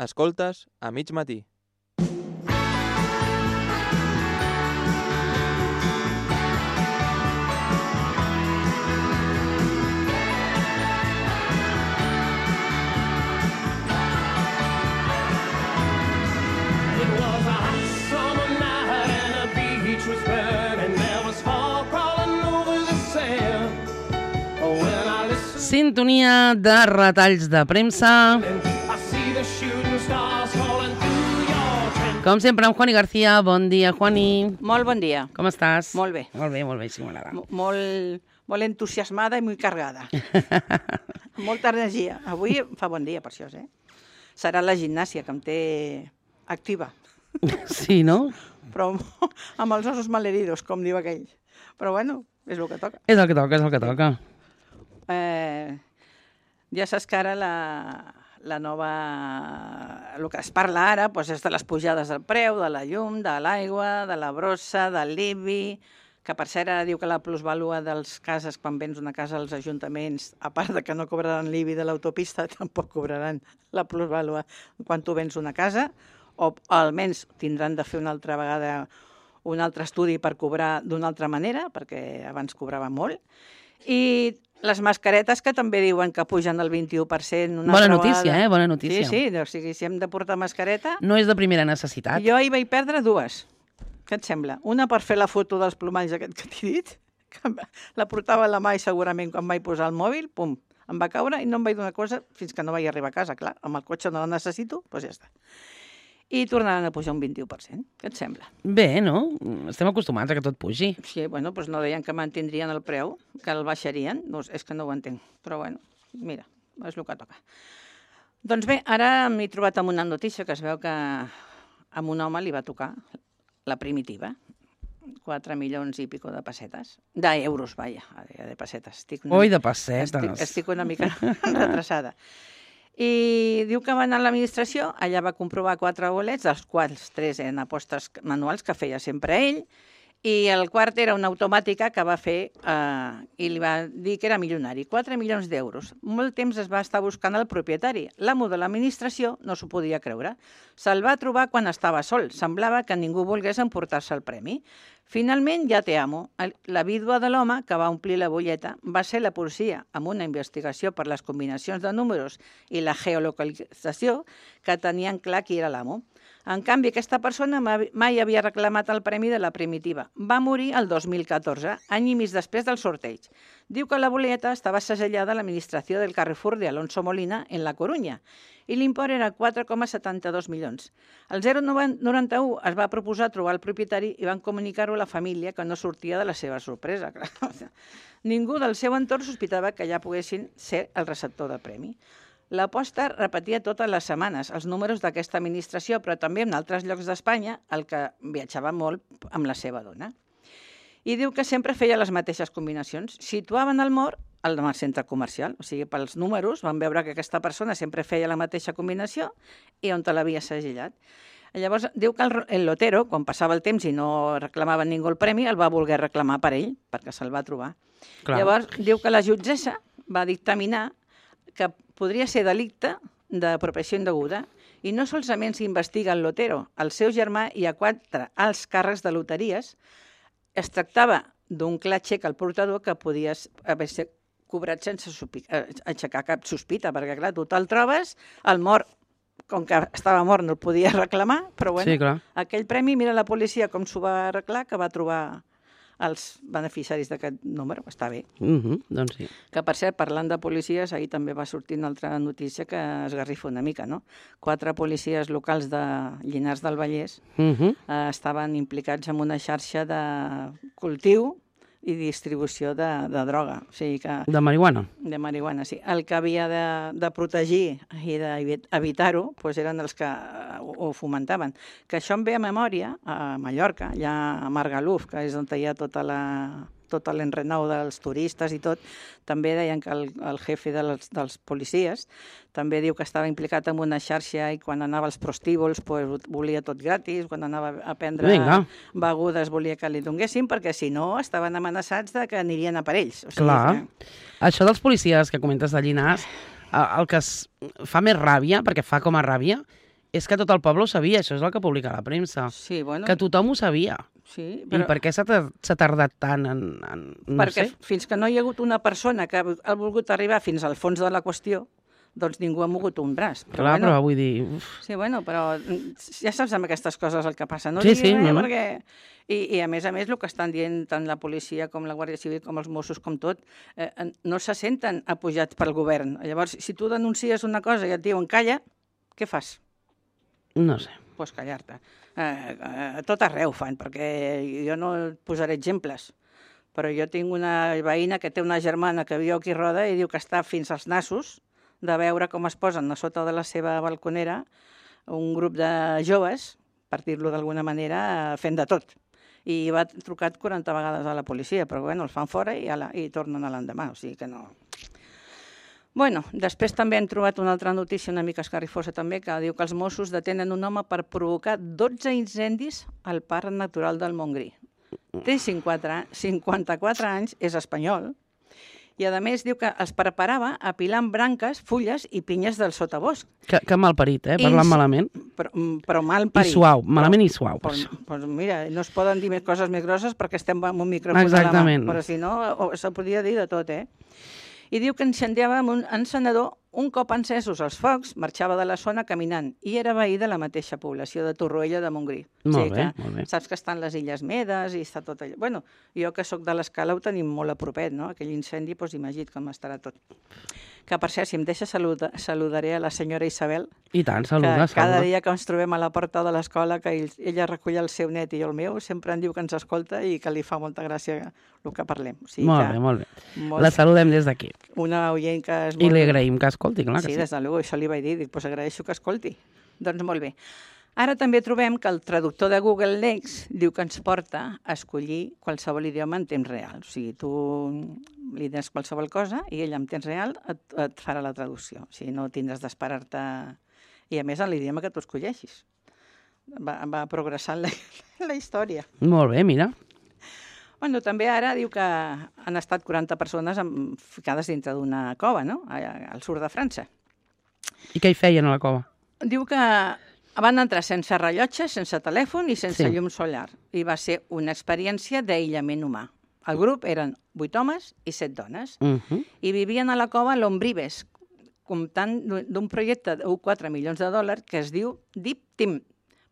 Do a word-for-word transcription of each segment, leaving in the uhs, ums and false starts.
Escoltes a mig matí. Sintonia de retalls de premsa. Com sempre, amb Juani García. Bon dia, Juani. Molt bon dia. Com estàs? Molt bé. Molt bé, molt bé, sí, m'agrada. M- Molt, molt entusiasmada i molt carregada. Molta energia. Avui fa bon dia, per això, eh? Serà la gimnàsia, que em té activa. Sí, no? Però amb els ossos malheridos, com diu aquell. Però bueno, és el que toca. És el que toca, és el que toca. Eh, ja saps que ara la, la nova... El que es parla ara doncs és de les pujades del preu, de la llum, de l'aigua, de la brossa, del l'I B I, que per cert ara diu que la plusvàlua dels cases, quan vens una casa als ajuntaments, a part de que no cobraran l'I B I de l'autopista, tampoc cobraran la plusvàlua quan tu vens una casa, o almenys tindran de fer una altra vegada un altre estudi per cobrar d'una altra manera, perquè abans cobrava molt. I les mascaretes, que també diuen que pugen el vint-i-u per cent. Una Bona altra notícia, vegada. eh? Bona notícia. Sí, sí, o sigui, si hem de portar mascareta... No és de primera necessitat. Jo ahir vaig perdre dues. Què et sembla? Una per fer la foto dels plomalls aquest que t'he dit, que la portava a la mà i segurament quan vaig posar el mòbil, pum, em va caure i no em vaig donar cosa fins que no vaig arribar a casa. Clar, amb el cotxe no la necessito, doncs ja està. I tornaran a pujar un vint-i-u per cent. Què et sembla? Bé, no? Estem acostumats a que tot pugi. Sí, bueno, doncs no deien que mantindrien el preu, que el baixarien. No, és que no ho entenc. Però bueno, mira, és el que toca. Doncs bé, ara m'he trobat amb una notícia que es veu que a un home li va tocar la primitiva. quatre milions i pico de pessetes. D'euros, vaja, de pessetes. Estic una... Oi, de pessetes. Estic, estic una mica retrasada. I diu que va anar a l'administració, allà va comprovar quatre bolets, dels quals tres eren apostes manuals que feia sempre ell, i el quart era una automàtica que va fer eh, i li va dir que era milionari, quatre milions d'euros. Molt temps es va estar buscant el propietari. L'amo de l'administració no s'ho podia creure. Se'l va trobar quan estava sol. Semblava que ningú volgués emportar-se el premi. Finalment ja té amo. La vídua de l'home, que va omplir la butlleta, va ser la policia, amb una investigació per les combinacions de números i la geolocalització, que tenien clar qui era l'amo. En canvi, aquesta persona mai havia reclamat el premi de la primitiva. Va morir el dos mil catorze, any i mig després del sorteig. Diu que la boleta estava segellada a l'administració del Carrefour de Alonso Molina en La Corunya i l'import era quatre coma setanta-dos milions. El zero coma noranta-u es va proposar trobar el propietari i van comunicar-ho a la família, que no sortia de la seva sorpresa. Ningú del seu entorn sospitava que ja poguessin ser el receptor del premi. L'aposta repetia totes les setmanes els números d'aquesta administració, però també en altres llocs d'Espanya, el que viatjava molt amb la seva dona. I diu que sempre feia les mateixes combinacions. Situaven el mort al centre comercial, o sigui, pels números van veure que aquesta persona sempre feia la mateixa combinació i on te l'havia segellat. Llavors, diu que el, el lotero, quan passava el temps i no reclamava ningú el premi, el va voler reclamar per ell, perquè se'l va trobar. Clar. Llavors, diu que la jutgessa va dictaminar que podria ser delicte d'apropiació indeguda i no solament s'investiga el lotero, el seu germà i a quatre alts càrrecs de loteries. Es tractava d'un clar xec al portador que podia haver cobrat sense aixecar cap sospita, perquè clar, tu te'l trobes, el mort, com que estava mort no el podia reclamar, però bueno, sí, aquell premi, mira la policia com s'ho va arreglar, que va trobar els beneficiaris d'aquest número, està bé. Uh-huh, doncs sí. Que, per cert, parlant de policies, ahir també va sortir una altra notícia que esgarrifa una mica, no? Quatre policies locals de Llinars del Vallès uh-huh. eh, estaven implicats en una xarxa de cultiu i distribució de, de droga. O sigui que, de marihuana? De marihuana, sí. El que havia de, de protegir i d'evitar-ho doncs eren els que ho, ho fomentaven. Que això em ve a memòria, a Mallorca, allà a Margaluf, que és on hi ha tota la... tot l'enrenou dels turistes i tot, també deien que el, el jefe dels, dels policies també diu que estava implicat en una xarxa i quan anava als prostíbuls pues, volia tot gratis, quan anava a prendre Vinga. begudes volia que li donguessin, perquè si no estaven amenaçats de que anirien a per ells. O sigui, clar. Que... Això dels policies que comentes de Llinars, el que es fa més ràbia, perquè fa com a ràbia, És que tot el poble ho sabia, això és el que publica la premsa. Sí, bueno... Que tothom ho sabia. Sí, però... I per què s'ha tardat tant en... en no perquè sé. fins que no hi ha hagut una persona que ha volgut arribar fins al fons de la qüestió, doncs ningú ha mogut un braç. Però Clar, bueno, però vull dir... Uf. Sí, bueno, però ja saps amb aquestes coses el que passa. No sí, sí, res, no, no. Perquè... I, I a més a més el que estan dient tant la policia com la Guàrdia Civil com els Mossos com tot, eh, no se senten apujats pel govern. Llavors, si tu denuncies una cosa i et diuen calla, què fas? No sé. Doncs pues callar-te. Eh, eh, tot arreu fan, perquè jo no posaré exemples, però jo tinc una veïna que té una germana que viu aquí a Roda i diu que està fins als nassos de veure com es posen a sota de la seva balconera un grup de joves, per dir-lo d'alguna manera, fent de tot. I va trucat quaranta vegades a la policia, però bueno, els fan fora i, ala, i tornen a l'endemà, o sigui que no... Bueno, després també hem trobat una altra notícia una mica escarrifosa també, que diu que els Mossos detenen un home per provocar dotze incendis al Parc Natural del Montgrí. Té cinquanta-quatre anys, és espanyol, i a més diu que es preparava apilant branques, fulles i pinyes del sotabosc. Que, que malparit, eh? Parlant I, malament. Però, però malparit. I suau, malament però, i suau. Doncs, doncs mira, no es poden dir més coses més grosses perquè estem amb un micròfon Exactament. a la mà, però si no, se podria dir de tot, eh? I diu que incendiava amb un encenedor, un cop encesos els focs, marxava de la zona caminant i era veí de la mateixa població de Torroella de Montgrí. Molt o sigui bé, que molt bé. Saps que estan les Illes Medes i està tot allò. Bueno, jo que sóc de l'Escala ho tenim molt a propet, no? Aquell incendi, doncs imagina't com estarà tot. Que per cert, si em deixa saluda, saludaré a la senyora Isabel. I tant, saluda, que cada saluda. dia que ens trobem a la porta de l'escola, que ell, ella recull el seu net i el meu, sempre em diu que ens escolta i que li fa molta gràcia el que parlem. O sigui molt que, bé, molt bé. Molt... La saludem des d'aquí. Una oient que és molt... I li bé. agraïm que escolti, clar que sí. Sí, des de luego, això li vaig dir, dic, pues agraeixo que escolti. Doncs molt bé. Ara també trobem que el traductor de Google Lex diu que ens porta a escollir qualsevol idioma en temps real. O sigui, tu li dones qualsevol cosa i ell en temps real et, et farà la traducció. O sigui, no tindràs d'esperar-te... I a més en l'idioma que tu escolleixis. Va, va progressant la, la història. Molt bé, mira. Bueno, també ara diu que han estat quaranta persones ficades dintre d'una cova, no?, al sud de França. I què hi feien a la cova? Diu que van entrar sense rellotge, sense telèfon i sense Sí. llum solar. I va ser una experiència d'aïllament humà. El grup eren vuit homes i set dones. Uh -huh. I vivien a la cova Lombrives, comptant d'un projecte de quatre milions de dòlars que es diu Deep Team,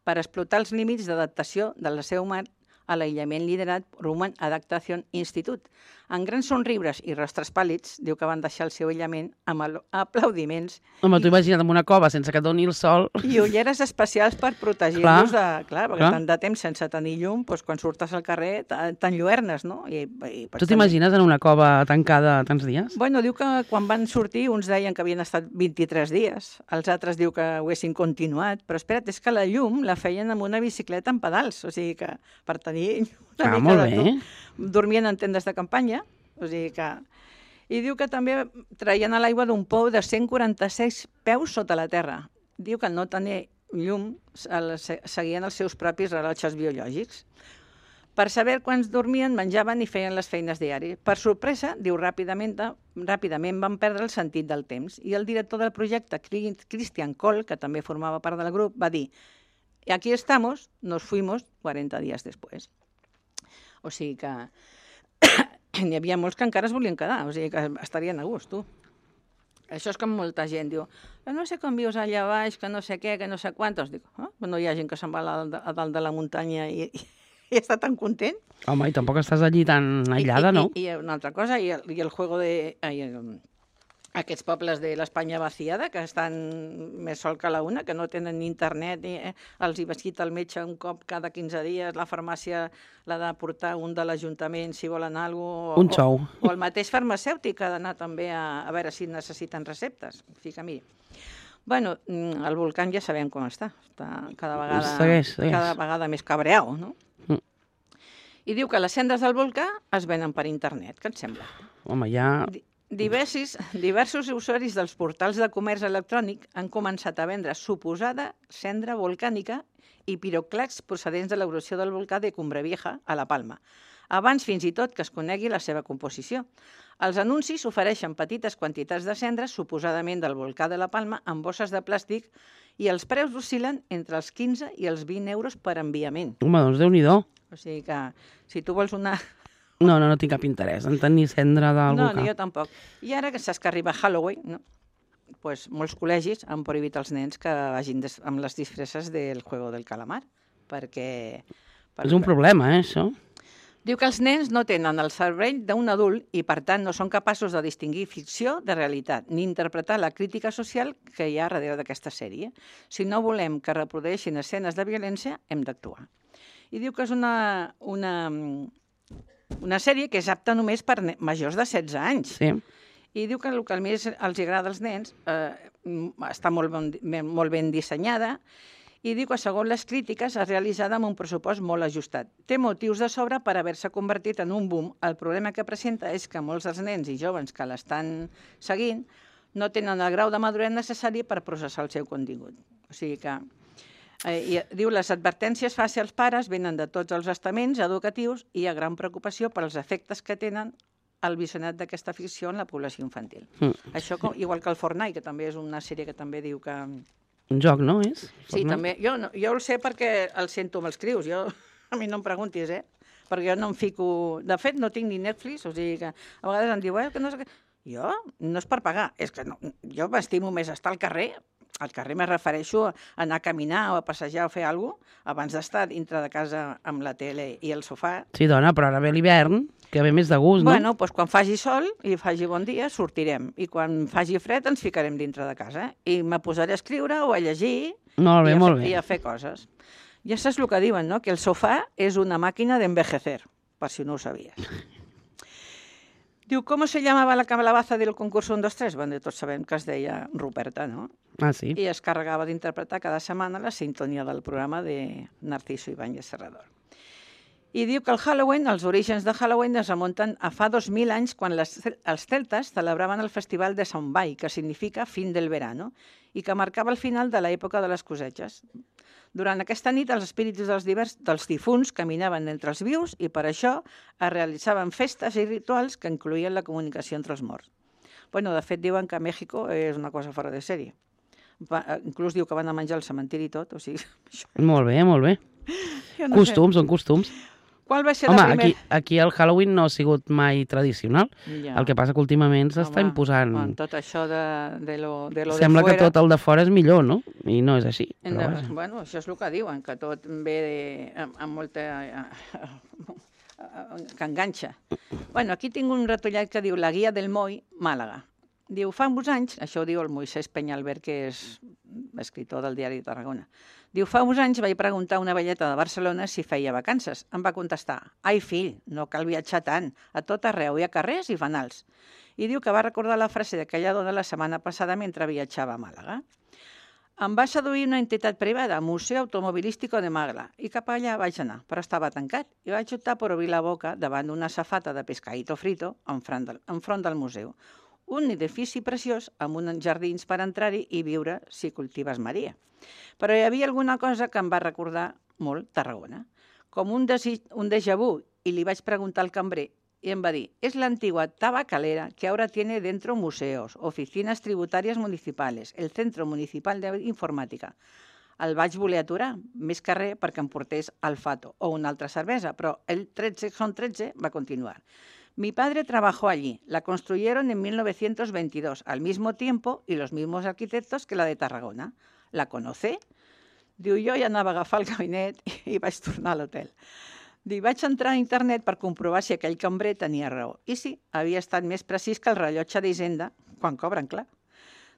per explotar els límits d'adaptació de la seva humà a l'aïllament liderat per Human Adaptation Institute. En grans somriures i rostres pàl·lids, diu que van deixar el seu aïllament amb aplaudiments. Home, t'ho imagina't en una cova sense que et doni el sol. I ulleres especials per protegir-los de... Clar, perquè clar. tant de temps sense tenir llum, doncs quan surtes al carrer t'enlluernes, no? I, i tu t'imagines en una cova tancada tants dies? Bueno, diu que quan van sortir, uns deien que havien estat vint-i-tres dies, els altres diu que ho haguessin continuat, però espera't, és que la llum la feien amb una bicicleta amb pedals, o sigui que per tenir una ah, mica molt de bé. tot. Dormien en tendes de campanya, o sigui que... I diu que també traien a l'aigua d'un pou de cent quaranta-sis peus sota la terra. Diu que al no tenir llum seguien els seus propis rellotges biològics. Per saber quants dormien, menjaven i feien les feines diàries. Per sorpresa, diu, ràpidament, ràpidament van perdre el sentit del temps. I el director del projecte, Christian Kohl, que també formava part del grup, va dir: aquí estamos, nos fuimos cuarenta días después. O sigui que n'hi havia molts que encara es volien quedar, o sigui que estarien a gust, tu. Això és com molta gent diu, no sé com vius allà baix, que no sé què, que no sé quantos. Dic, oh, no hi ha gent que se'n va a dalt de la muntanya i, i, i està tan content. Home, i tampoc estàs allí tan aïllada, I, i, no? I, i una altra cosa, i el, i el juego de... Ai, el, aquests pobles de l'Espanya vaciada, que estan més sol que la una, que no tenen ni internet, ni, eh, els hi visita el metge un cop cada quinze dies, la farmàcia l'ha de portar un de l'Ajuntament si volen alguna cosa. Un xou. O, o el mateix farmacèutic ha d'anar també a, a veure si necessiten receptes. O sigui que, miri, bueno, el volcán ja sabem com està. Està cada vegada, segueix, segueix. cada vegada més cabreau, no? Mm. I diu que les cendres del volcà es venen per internet. Què et sembla? Home, ja... Diversos, diversos usuaris dels portals de comerç electrònic han començat a vendre suposada cendra volcànica i piroclasts procedents de l'erupció del volcà de Cumbre Vieja, a la Palma, abans fins i tot que es conegui la seva composició. Els anuncis ofereixen petites quantitats de cendres, suposadament del volcà de la Palma, en bosses de plàstic i els preus oscil·len entre els quinze i els vint euros per enviament. Home, doncs Déu-n'hi-do. O sigui que, si tu vols una... No, no, no tinc cap interès en tenir cendra del No, volcà. ni jo tampoc. I ara que saps que arriba Halloween, no? Pues molts col·legis han prohibit als nens que vagin des... amb les disfresses del Juego del Calamar, perquè... És un problema, eh, això. Diu que els nens no tenen el cervell d'un adult i, per tant, no són capaços de distingir ficció de realitat, ni interpretar la crítica social que hi ha darrere d'aquesta sèrie. Si no volem que reprodueixin escenes de violència, hem d'actuar. I diu que és una, una, una sèrie que és apta només per majors de setze anys. Sí. I diu que el que més els agrada als nens eh, està molt ben, molt ben dissenyada, i diu que, segons les crítiques, és realitzada amb un pressupost molt ajustat. Té motius de sobre per haver-se convertit en un boom. El problema que presenta és que molts dels nens i joves que l'estan seguint no tenen el grau de maduresa necessari per processar el seu contingut. O sigui que, eh, i, diu, les advertències fàcils als pares venen de tots els estaments educatius i hi ha gran preocupació per als efectes que tenen el visionat d'aquesta ficció en la població infantil. Mm. Això, com, igual que el Fortnite, que també és una sèrie que també diu que... Un joc, no, és? Sí, també. Jo, no, jo el sé perquè el sento amb els crius. Jo, a mi no em preguntis, eh? Perquè jo no em fico... De fet, no tinc ni Netflix, o sigui que a vegades em diu, eh, que no sé què... Jo? No és per pagar. És que no, jo m'estimo més estar al carrer. Al carrer me refereixo a anar a caminar o a passejar o fer alguna cosa, abans d'estar dintre de casa amb la tele i el sofà. Sí, dona, però ara ve l'hivern, que ve més de gust, no? Bueno, doncs quan faci sol i faci bon dia, sortirem. I quan faci fred ens ficarem dintre de casa. I me posaré a escriure o a llegir molt bé, i, a molt bé. i a fer coses. Ja saps el que diuen, no? Que el sofà és una màquina d'envejecer, per si no ho sabies. Diu, ¿cómo se llamaba la calabaza del concurso un, dos, tres? Bueno, tots sabem que es deia Ruperta, no? Ah, sí? I es carregava d'interpretar cada setmana la sintonia del programa de Narciso Ibáñez Serrador. I diu que el Halloween, els orígens de Halloween es remunten a fa dos mil anys quan les, els celtes celebraven el festival de Samhain, que significa fin del verano, i que marcava el final de l'època de les cosetges. Durant aquesta nit, els espíritus dels, divers, dels difunts caminaven entre els vius i per això es realitzaven festes i rituals que incloïen la comunicació entre els morts. Bueno, de fet, diuen que a Mèxico és una cosa fora de sèrie. Va, inclús diu que van a menjar al cementiri i tot, o sigui... Això... Molt bé, molt bé. No costums, sé. Són costums. Qual va ser Home, la primera... aquí, aquí el Halloween no ha sigut mai tradicional. Ja. El que passa que últimament s'està imposant... Home, tot això de, de lo de lo Sembla de que tot el de fora és millor, no? I no és així. De, bueno, això és el que diuen, que tot ve de, amb, amb molta... que enganxa. Bueno, aquí tinc un ratollat que diu La guia del Moi, Màlaga. Diu, fa uns anys, això ho diu el Moisés Peñalver, que és escritor del diari de Tarragona. Diu, fa uns anys vaig preguntar a una velleta de Barcelona si feia vacances. Em va contestar, ai fill, no cal viatjar tant, a tot arreu hi ha carrers i fanals. I diu que va recordar la frase d'aquella dona la setmana passada mentre viatjava a Màlaga. Em va seduir una entitat privada, Museu Automobilístico de Málaga, i cap allà vaig anar, però estava tancat, i vaig optar per obrir la boca davant d'una safata de pescadito frito enfront del, enfront del museu. Un edifici preciós amb uns jardins per entrar-hi i viure si cultives Maria. Però hi havia alguna cosa que em va recordar molt Tarragona, com un, desig, un déjà vu, i li vaig preguntar al cambrer, i em va dir, es la antigua tabacalera que ahora tiene dentro museos, oficinas tributarias municipales, el Centro Municipal de Informàtica. El vaig voler aturar, més que res perquè em portés al Fato o una altra cervesa, però el tretze son tretze va continuar. Mi padre trabajó allí, la construyeron en mil novecientos veintidós, al mismo tiempo y los mismos arquitectos que la de Tarragona. La conoce? Diu, jo ja anava a agafar el gabinet i vaig tornar a l'hotel. Diu, vaig entrar a internet per comprovar si aquell cambrer tenia raó. I sí, havia estat més precís que el rellotge d'Hisenda, quan cobren, clar.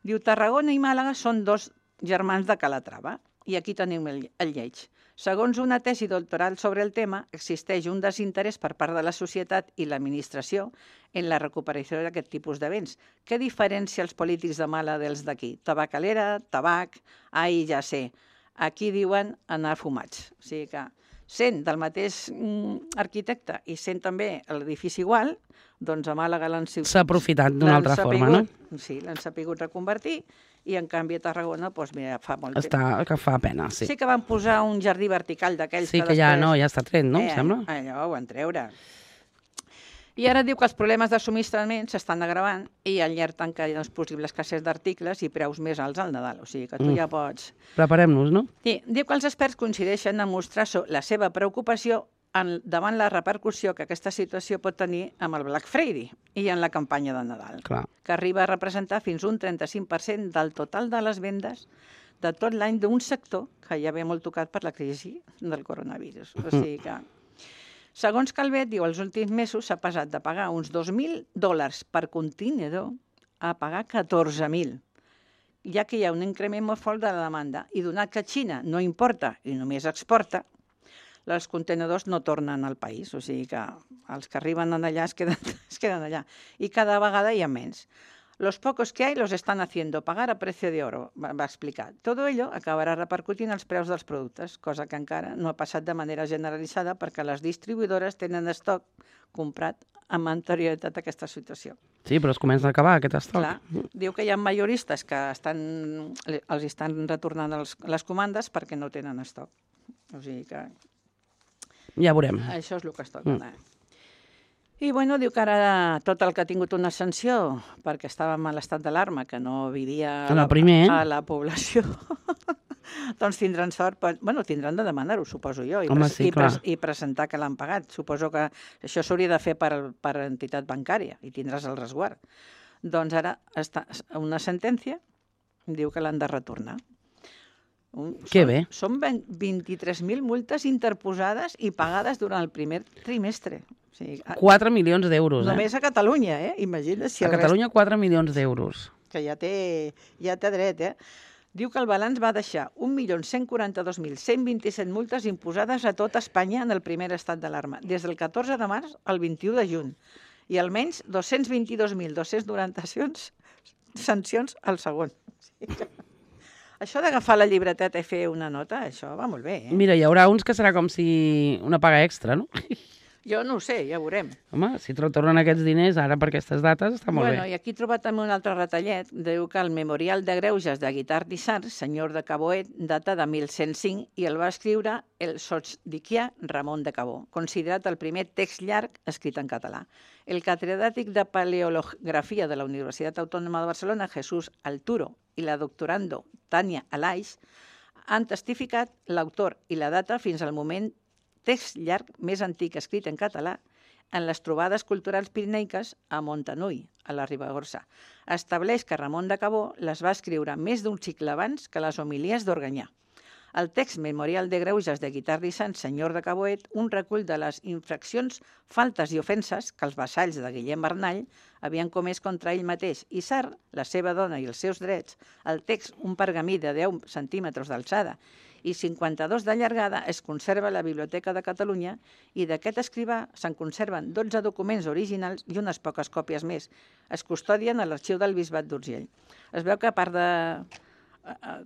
Diu, Tarragona i Màlaga són dos germans de Calatrava. I aquí tenim el, el lleig. Segons una tesi doctoral sobre el tema, existeix un desinterès per part de la societat i l'administració en la recuperació d'aquest tipus de béns. Què diferencia els polítics de Màlaga dels d'aquí? Tabacalera, tabac, ai, ja sé. Aquí diuen anar fumats. O sigui que, sent del mateix mm, arquitecte i sent també l'edifici igual, doncs a Màlaga l'han... S'ha aprofitat d'una altra forma, no? Sí, l'han sapigut reconvertir i en canvi a Tarragona, doncs mira, fa molt temps. Està, que fa pena, sí. Sí que van posar un jardí vertical d'aquells sí, que que ja després... no, ja està tret, no, eh, em sembla? Allò ho van treure. I ara diu que els problemes de subministrament s'estan agravant i alerten que hi ha possible escassez d'articles i preus més alts al Nadal. O sigui que tu Mm. ja pots... Preparem-nos, no? Sí, diu que els experts coincideixen en mostrar so- la seva preocupació en, davant la repercussió que aquesta situació pot tenir amb el Black Friday i en la campanya de Nadal, Clar. que arriba a representar fins un trenta-cinc per cent del total de les vendes de tot l'any d'un sector que ja ve molt tocat per la crisi del coronavirus. O sigui que, segons Calvet, diu, els últims mesos s'ha passat de pagar uns dos mil dòlars per contenidor a pagar catorze mil, ja que hi ha un increment molt fort de la demanda. I donat que Xina no importa i només exporta, els contenedors no tornen al país, o sigui que els que arriben allà es queden, es queden allà. I cada vegada hi ha menys. Los pocos que hay los están haciendo pagar a precio de oro, va, va explicar. Todo ello acabarà repercutint els preus dels productes, cosa que encara no ha passat de manera generalitzada perquè les distribuïdores tenen estoc comprat amb anterioritat a aquesta situació. Sí, però es comença a acabar aquest estoc. Clar, diu que hi ha majoristes que estan, els estan retornant els, les comandes perquè no tenen estoc. O sigui que Ja veurem. això és el que es toca. Mm. I bueno, diu que ara tot el que ha tingut una sanció perquè estàvem en l'estat d'alarma, que no vivia En el primer, eh? a la població, doncs tindran sort, per, bueno, tindran de demanar-ho, suposo jo, i, Home, pres, sí, i, pres, clar. i presentar que l'han pagat. Suposo que això s'hauria de fer per, per entitat bancària i tindràs el resguard. Doncs ara està una sentència, diu que l'han de retornar. Un, Que són, bé. Són vint-i-tres mil multes interposades i pagades durant el primer trimestre. O sigui, a, quatre milions d'euros, eh? només a Catalunya, eh? Imagina't si A el Catalunya, quatre milions d'euros. rest, que ja té, ja té dret, eh? Diu que el balanç va deixar un milió cent quaranta-dos mil cent vint-i-set multes imposades a tot Espanya en el primer estat d'alarma, des del catorze de març al vint-i-u de juny, i almenys dos-cents vint-i-dos mil dos-cents noranta sancions al segon. O sigui que... Això d'agafar la llibreteta i fer una nota, això va molt bé, eh? Mira, hi haurà uns que serà com si una paga extra, no? Jo no ho sé, ja ho veurem. Home, si te tornen aquests diners ara per aquestes dates, està molt Bueno, bé. i aquí he trobat també un altre retallet. Diu que el Memorial de Greuges de Guitart d'Issar, senyor de Caboet, data de mil cent cinc i el va escriure el sotsdiquià Ramon de Cabó, considerat el primer text llarg escrit en català. El catedràtic de Paleografia de la Universitat Autònoma de Barcelona, Jesús Alturo, i la doctorando Tània Alaix han testificat l'autor i la data fins al moment text llarg més antic escrit en català en les trobades culturals pirineiques a Montanui, a la Ribagorça. Estableix que Ramon de Cabó les va escriure més d'un segle abans que les homilies d'Organyà. El text Memorial de Greuges de Guitart d'Issar, senyor de Caboet, un recull de les infraccions, faltes i ofenses que els vassalls de Guillem Bernall havien comès contra ell mateix. Issar, la seva dona i els seus drets, el text, un pergamí de deu centímetres d'alçada i cinquanta-dos de llargada, es conserva a la Biblioteca de Catalunya i d'aquest escrivà se'n conserven dotze documents originals i unes poques còpies més. Es custodien a l'arxiu del Bisbat d'Urgell. Es veu que a part de...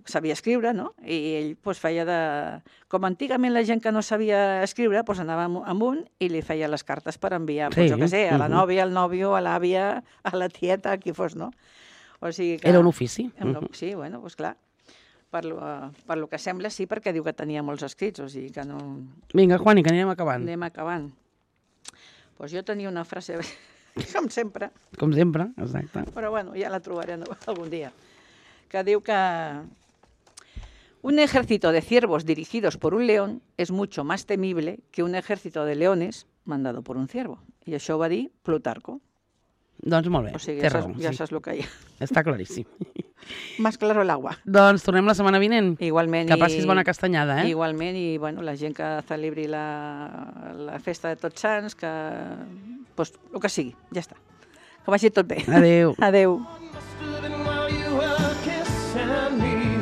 sabia escriure, no? I ell pues, feia de... Com antigament la gent que no sabia escriure, pues, anava amb un i li feia les cartes per enviar, pues, Sí, jo què sé, a la mhm. nòvia, al nòvio, a l'àvia, a la tieta, a qui fos, no? O sigui que... Era un ofici. Era Mhm. un- Sí, bueno, doncs clar. Per lo, per lo que sembla, sí, perquè diu que tenia molts escrits, o sigui que no... Vinga, Juani, que anirem acabant. Anem acabant. Doncs jo tenia una frase, com sempre, Com sempre, exacte. però bueno, ja la trobaré algun dia, que diu que un ejército de ciervos dirigidos por un león es mucho más temible que un ejército de leones mandado por un ciervo. I això ho va dir Plutarco. Doncs molt bé, O sigui, té ja, raó. saps, ja Sí. saps el que hi ha. Està claríssim. Más claro el agua. Doncs tornem la setmana vinent. Igualment. Que passis i- bona castanyada, eh? Igualment, i bueno, la gent que celebri la, la festa de Tots Sants, que... Pues, el que sigui, ja està. Que vagi tot bé. Adéu. Adéu. Must have been while you were kissing me.